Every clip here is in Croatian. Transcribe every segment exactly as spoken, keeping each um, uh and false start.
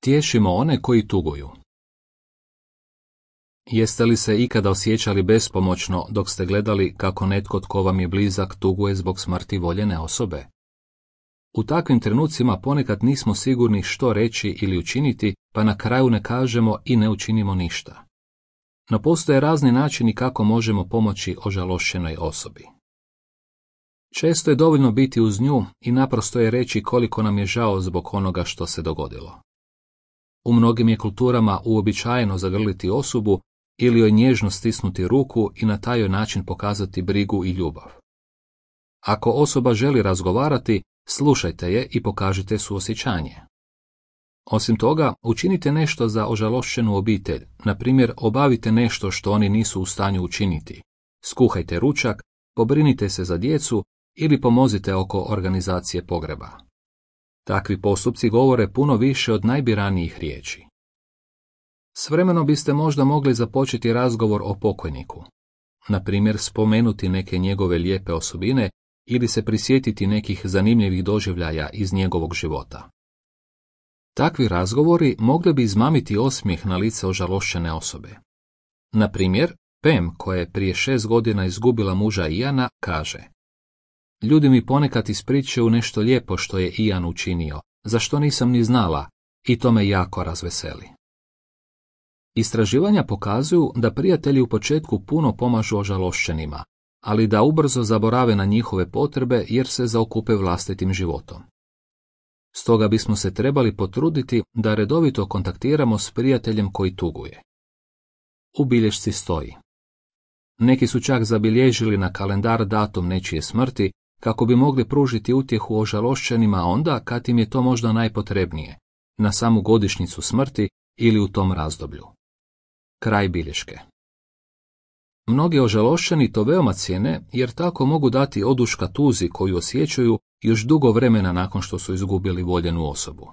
Tješimo one koji tuguju. Jeste li se ikada osjećali bespomoćno dok ste gledali kako netko tko vam je blizak tuguje zbog smrti voljene osobe? U takvim trenucima ponekad nismo sigurni što reći ili učiniti, pa na kraju ne kažemo i ne učinimo ništa. No postoje razni načini kako možemo pomoći ožalošćenoj osobi. Često je dovoljno biti uz nju i naprosto je reći koliko nam je žao zbog onoga što se dogodilo. U mnogim je kulturama uobičajeno zagrliti osobu ili joj nježno stisnuti ruku i na taj način pokazati brigu i ljubav. Ako osoba želi razgovarati, slušajte je i pokažite suosjećanje. Osim toga, učinite nešto za ožalošćenu obitelj, na primjer obavite nešto što oni nisu u stanju učiniti. Skuhajte ručak, pobrinite se za djecu ili pomozite oko organizacije pogreba. Takvi postupci govore puno više od najbiranijih riječi. S vremenom biste možda mogli započeti razgovor o pokojniku. Na primjer, spomenuti neke njegove lijepe osobine ili se prisjetiti nekih zanimljivih doživljaja iz njegovog života. Takvi razgovori mogli bi izmamiti osmijeh na lice ožalošćene osobe. Na primjer, Pam, koja je prije šest godina izgubila muža Iana, kaže: Ljudi mi ponekad ispričaju nešto lijepo što je Ian učinio, za što nisam ni znala, i to me jako razveseli. Istraživanja pokazuju da prijatelji u početku puno pomažu ožalošćenima, ali da ubrzo zaborave na njihove potrebe jer se zaokupe vlastitim životom. Stoga bismo se trebali potruditi da redovito kontaktiramo s prijateljem koji tuguje. U bilješci stoji: Neki su čak zabilježili na kalendar datum nečije smrti kako bi mogli pružiti utjehu ožalošćenima onda kad im je to možda najpotrebnije, na samu godišnjicu smrti ili u tom razdoblju. Kraj bilješke. Mnogi ožalošćeni to veoma cijene jer tako mogu dati oduška tuzi koju osjećaju još dugo vremena nakon što su izgubili voljenu osobu.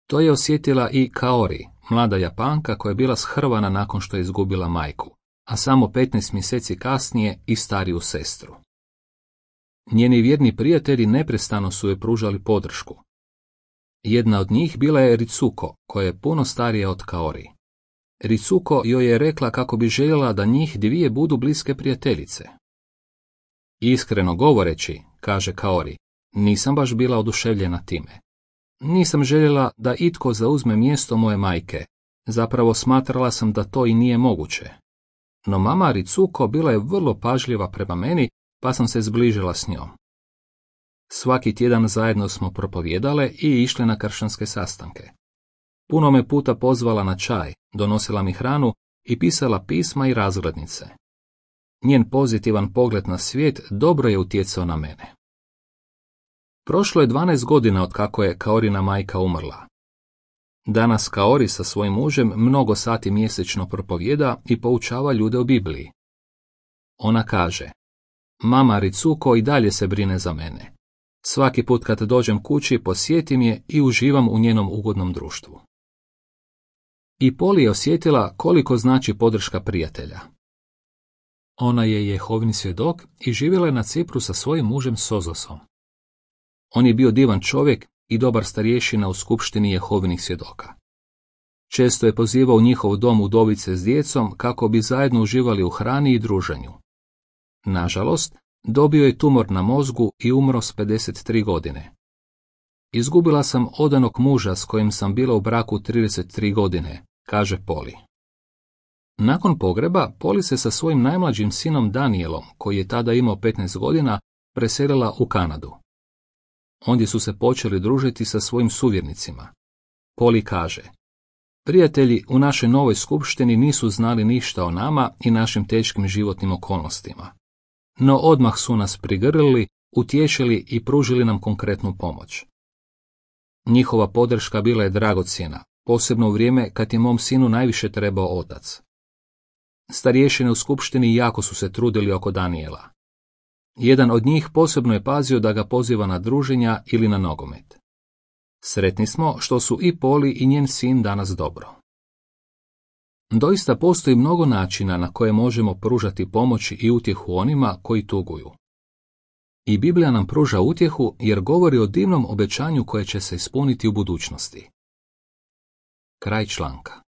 To je osjetila i Kaori, mlada Japanka koja je bila shrvana nakon što je izgubila majku, a samo petnaest mjeseci kasnije i stariju sestru. Njeni vjerni prijatelji neprestano su joj pružali podršku. Jedna od njih bila je Ritsuko, koja je puno starija od Kaori. Ritsuko joj je rekla kako bi željela da njih dvije budu bliske prijateljice. Iskreno govoreći, kaže Kaori, nisam baš bila oduševljena time. Nisam željela da itko zauzme mjesto moje majke, zapravo smatrala sam da to i nije moguće. No mama Ritsuko bila je vrlo pažljiva prema meni, pa sam se zbližila s njom. Svaki tjedan zajedno smo propovijedale i išle na kršćanske sastanke. Puno me puta pozvala na čaj, donosila mi hranu i pisala pisma i razglednice. Njen pozitivan pogled na svijet dobro je utjecao na mene. Prošlo je dvanaest godina od kako je Kaorina majka umrla. Danas Kaori sa svojim mužem mnogo sati mjesečno propovijeda i poučava ljude o Bibliji. Ona kaže: Mama Ritsuko i dalje se brine za mene. Svaki put kad dođem kući posjetim je i uživam u njenom ugodnom društvu. I Poli je osjetila koliko znači podrška prijatelja. Ona je Jehovin svjedok i živjela je na Cipru sa svojim mužem Sozosom. On je bio divan čovjek i dobar starješina u skupštini Jehovinih svjedoka. Često je pozivao u njihov dom udovice s djecom kako bi zajedno uživali u hrani i druženju. Nažalost, dobio je tumor na mozgu i umro s pedeset tri godine. Izgubila sam odanog muža s kojim sam bila u braku trideset tri godine, kaže Poli. Nakon pogreba, Poli se sa svojim najmlađim sinom Danielom, koji je tada imao petnaest godina, preselila u Kanadu. Ondje su se počeli družiti sa svojim suvjernicima. Poli kaže: Prijatelji u našoj novoj skupštini nisu znali ništa o nama i našim teškim životnim okolnostima. No odmah su nas prigrlili, utješili i pružili nam konkretnu pomoć. Njihova podrška bila je dragocjena, posebno u vrijeme kad je mom sinu najviše trebao otac. Starješine u skupštini jako su se trudili oko Daniela. Jedan od njih posebno je pazio da ga poziva na druženja ili na nogomet. Sretni smo što su i Poli i njen sin danas dobro. Doista postoji mnogo načina na koje možemo pružati pomoć i utjehu onima koji tuguju. I Biblija nam pruža utjehu jer govori o divnom obećanju koje će se ispuniti u budućnosti. Kraj članka.